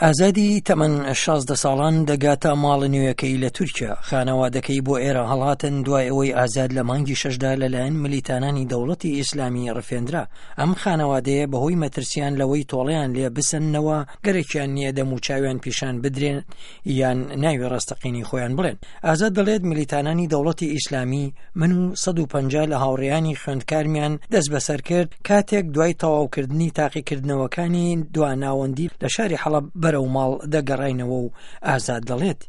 ئازادی تەمەن 16 ساڵان دەگاتە ماڵە نوێیەکەی لە تورکیا. خانەوادەکەی بۆ ئێرە هەڵهاتن دوای ئەوەی ئازاد لە مانگی شەشدا لەلایەن ملیتانانی دەوڵەتی ئیسلامی ڕفێندرا. ئەم خانەوادەیە بەهۆی مەترسیان لەوەی تۆڵەیان لێ بسەننەوە گەرەکیان نییە دەموچاویان پیشان بدرێن یان ناوی ڕاستەقینەی خۆیان بڵێن. ئازاد دەڵێت ملیتانانی دەوڵەتی ئیسلامی من و 150 لە هاوڕێیانی خوێندکارمیان دەستبەسەر کرد کاتێک دوای تەواوکردنی تاقیکردنەوەکانی دواناوەندی لە شاری حەڵەب بەرەو ماڵ دەگەڕاینەوە و ئازاد دەڵێت.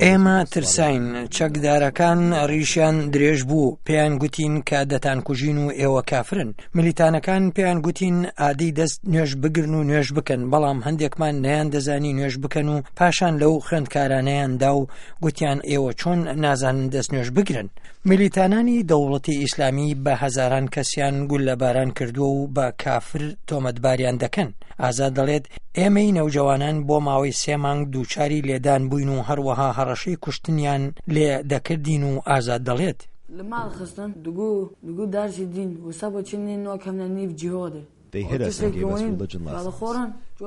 ئێمە ترساین، چەکدارەکان ڕیشیان درێژ بوو، پێیان گوتین کە دەتانکوژین و ئێوە کافرن. ملیتانەکان پێیان گوتین ئادەی دەست نوێژ بگرن و نوێژ بکەن، بەڵام هەندێکمان نەیاندەزانی نوێژ بکەن و پاشان لەو خوێندکارانەیان دا و گوتیان ئێوە چۆن نازانن دەست نوێژ بگرن. ملیتانانی دەوڵەتی ئیسلامی بە هەزاران کەسیان گوللەباران کردووە و بە کافر تۆمەتباریان دەکەن. ئازاد دەڵێت، ئێمەی نەوجەوانان بۆ ماوەی سێ مانگ دووچاری لێدان بووین و هەروەها هەڕەشەی کوشتنیان لێ دەکردین و ئازاد دەڵێت.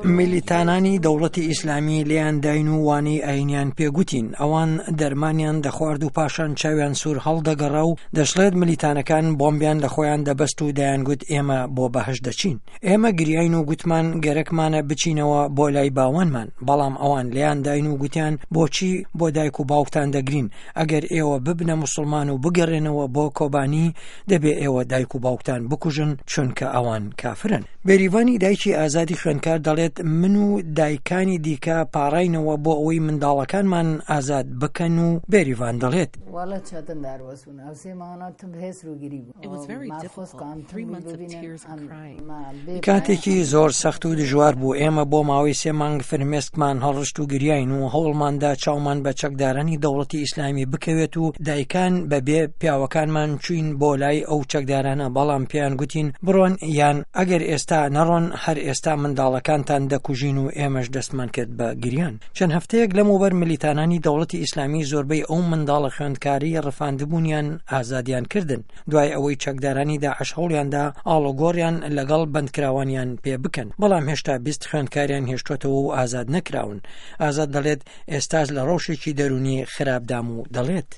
میلیتانانی دەوڵەتی ئیسلامی لێیان داین و وانەی ئاینیان پێ گوتین، ئەوان دەرمانیان دەخوارد و پاشان چاویان سوور هەڵدەگەڕا و دەشڵێت ملیتانەکان بۆمبیان لە خۆیان دەبەست و دەیانگوت ئێمە بۆ بەهەشت دەچین. ئێمە گریاین و گوتمان گەرەکمانە بچینەوە بۆ لای باوانمان، بەڵام ئەوان لێیان داین و گوتیان بۆچی بۆ دایک و باوکتان دەگرین، ئەگەر ئێوە ببنە موسڵمان و بگەڕێنەوە بۆ کۆبانی دەبێ ئێوە دایک و باوکتان بکوژن چونکە ئەوان کافرن. بێریڤانی دایکی ئازادی خوێندکار دەڵێت من و دایکانی دیکە پاڕاینەوە بۆ ئەوەی منداڵەکانمان ئازاد بکەن و بێریڤان دەڵێت. کاتێکی زۆر سەخت و دژوار بوو، ئێمە بۆ ماوەی سێ مانگ فرمێسکمان هەڵڕشت و گریاین و هەوڵماندا چاومان بە چەکدارانی دەوڵەتی ئیسلامی بکەوێت و دایکان بە بێ پیاوەکانمان چوین بۆ لای ئەو چەکدارانە بەڵام پێیان گوتین بڕۆن یان ئەگەر ئێستا نەڕۆن هەر ئێستا منداڵەکانتان دەکوژین و ئێمەش دەستمان کرد بە گریان. چەند هەفتەیەک لەمەوبەر ملیتانانی دەوڵەتی ئیسلامی زۆربەی ئەو منداڵە خوێندکارەی ڕفاندبوونیان ئازادیان کردن دوای ئەوەی چەکدارانی داعش هەوڵیاندا ئاڵوگۆڕیان لەگەڵ بەندکراوانیان پێ بکەن بەڵام هێشتا 20 خوێندکاریان هێشتۆتەوە و ئازاد نەکراون ئازاد دەڵێت ئێستاش لە ڕەوشێکی دەروونی خراپدام و دەڵێت.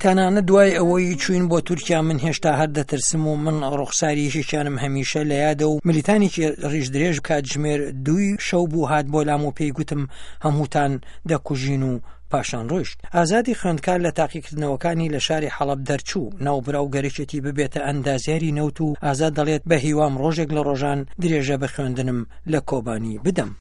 تەنانەت دوای ئەوەی چووین بۆ تورکیا من هێشتا هەر دەترسم و من ڕوخساری یەکێکیانم هەمیشە لە یادە و ملیتانێکی ڕیش درێژ کاتژمێر دووی شەو بوو هات بۆ لام و پێی گوتم هەمووتان دەکوژین و پاشان ڕۆیشت. ئازادی خوێندکار لە تاقیکردنەوەکانی لە شاری حەڵەب دەرچوو، ناوبراو گەرەکێتی ببێتە ئەندازیاری نەوت و ئازاد دەڵێت بە هیوام ڕۆژێک لە ڕۆژان درێژە بە خوێندنم لە کۆبانی بدەم.